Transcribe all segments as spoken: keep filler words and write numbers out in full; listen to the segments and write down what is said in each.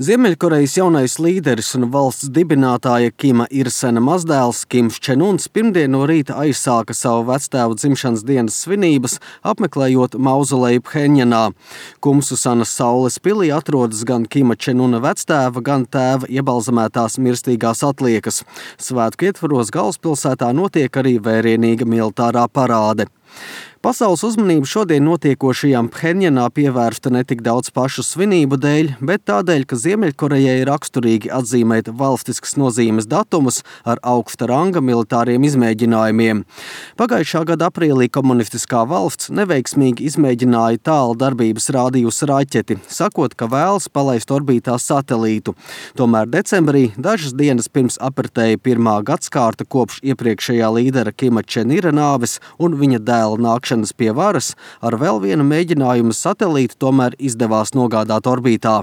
Ziemeļkorejas jaunais līderis un valsts dibinātāja Kima Ir-sena mazdēls Kims Čen-uns pirmdien no rīta aizsāka savu vectēva dzimšanas dienas svinības, apmeklējot mauzoleju Phenjanā. Kumsusanas saules pilī atrodas gan Kima Čen-una vectēva, gan tēva iebalzamētās mirstīgās atliekas. Svētku ietvaros galvaspilsētā notiek arī vērienīga militārā parāde. Pasaules uzmanība šodien notiekošajām Phenjanā pievērsta ne tik daudz pašu svinību dēļ, bet tādēļ, ka Ziemeļkorejai ir raksturīgi atzīmēt valstiskas nozīmes datumus ar augsta ranga militāriem izmēģinājumiem. Pagājušā gada aprīlī komunistiskā valsts neveiksmīgi izmēģināja tālu darbības rādījusa raķeti, sakot, ka vēlas palaist orbītā satelītu. Tomēr decembrī, dažas dienas pirms apritēja pirmā gadskārta kopš iepriekšējā līdera Kima Čen-ira nāves un viņa dēla nākšanas pie varas, ar vēl vienu mēģinājumu satelītu tomēr izdevās nogādāt orbītā.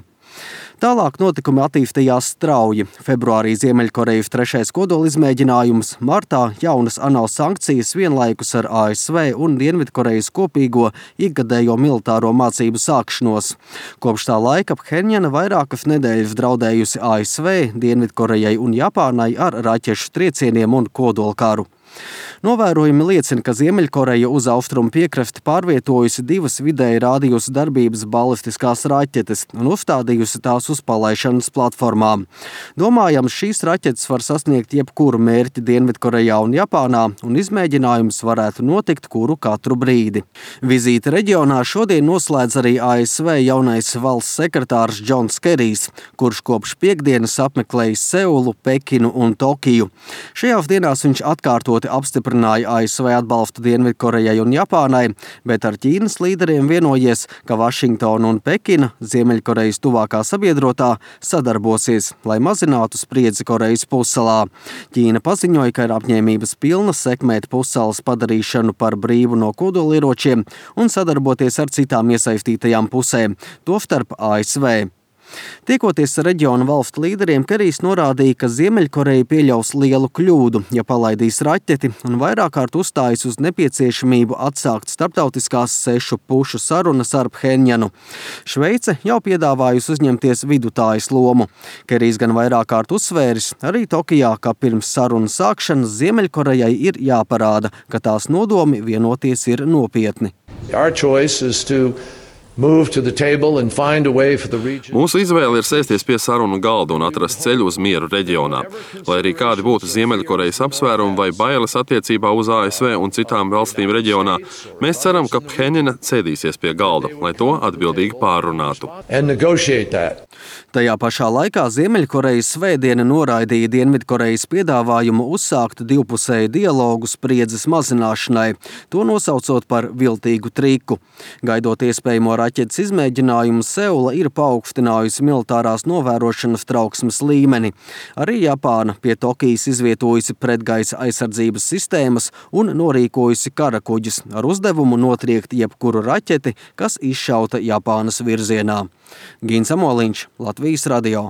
Tālāk notikumi attīstījās strauji. Februārī Ziemeļkorejas trešais kodolizmēģinājums, martā jaunas ANO sankcijas vienlaikus ar A S V un Dienvidkorejas kopīgo ikgadējo militāro mācību sākšanos. Kopš tā laika Phenjana vairākas nedēļas draudējusi A S V, Dienvidkorejai un Japānai ar raķešu triecieniem un kodolkaru. Novērojumi liecina, ka Ziemeļkoreja uz austrumu piekrasti pārvietojusi divas vidēji rādījusi darbības balistiskās raķetes un uzstādījusi tās uz palaišanas platformām. Domājams, šīs raķetes var sasniegt jebkuru mērķi Dienvidkorejā un Japānā, un izmēģinājums varētu notikt kuru katru brīdi. Vizīti reģionā šodien noslēdz arī A S V jaunais valsts sekretārs Džons Kerijs, kurš kopš piekdienas apmeklējis Seulu, Pekinu un Tokiju. Šajās dienās viņš atkārtoti apstiprināja A S V atbalstu Dienvidkorejai un Japānai, bet ar Ķīnas līderiem vienojies, ka Vašingtona un Pekina, Ziemeļkorejas tuvākā sabiedrotā, sadarbosies, lai mazinātu spriedzi Korejas pussalā. Ķīna paziņoja, ka ir apņēmības pilna sekmēt pussalas padarīšanu par brīvu no kodolieročiem un sadarboties ar citām iesaistītajām pusēm, tostarp A S V. Tiekoties ar reģiona valstu līderiem, Kerijs norādīja, ka Ziemeļkoreja pieļaus lielu kļūdu, ja palaidīs raķeti, un vairāk kārt uzstājas uz nepieciešamību atsākt starptautiskās sešu pušu sarunas ar Phenjanu. Šveice jau piedāvājusi uzņemties vidutājas lomu. Kerijs gan vairāk kārt uzsvēris, arī Tokijā, ka pirms sarunu sākšanas Ziemeļkorejai ir jāparāda, ka tās nodomi vienoties ir nopietni. Our choice is to move to the table and find a way for the region. Mūsu izvēle ir sēsties pie sarunu galda un atrast ceļu uz mieru reģionā. Lai arī kādi būtu Ziemeļkorejas apsvērumi vai bailes attiecībā uz A S V un citām valstīm reģionā, mēs ceram, ka Phenjana cēdīsies pie galda, lai to atbildīgi pārunātu. And negotiate that. Tajā pašā laikā Ziemeļkorejas svētdiena noraidīja Dienvidkorejas piedāvājumu uzsākt divpusēju dialogu spriedzes mazināšanai, to nosaucot par viltīgu triku. Gaidot iespējamo raķetes izmēģinājumu, Seula ir paaugstinājusi militārās novērošanas trauksmes līmeni. Arī Japāna pie Tokijas izvietojusi pretgaisa aizsardzības sistēmas un norīkojusi karakuģus ar uzdevumu notriekt jebkuru raķeti, kas izšauta Japānas virzienā. Gins Amoliņš, Latvijas radio.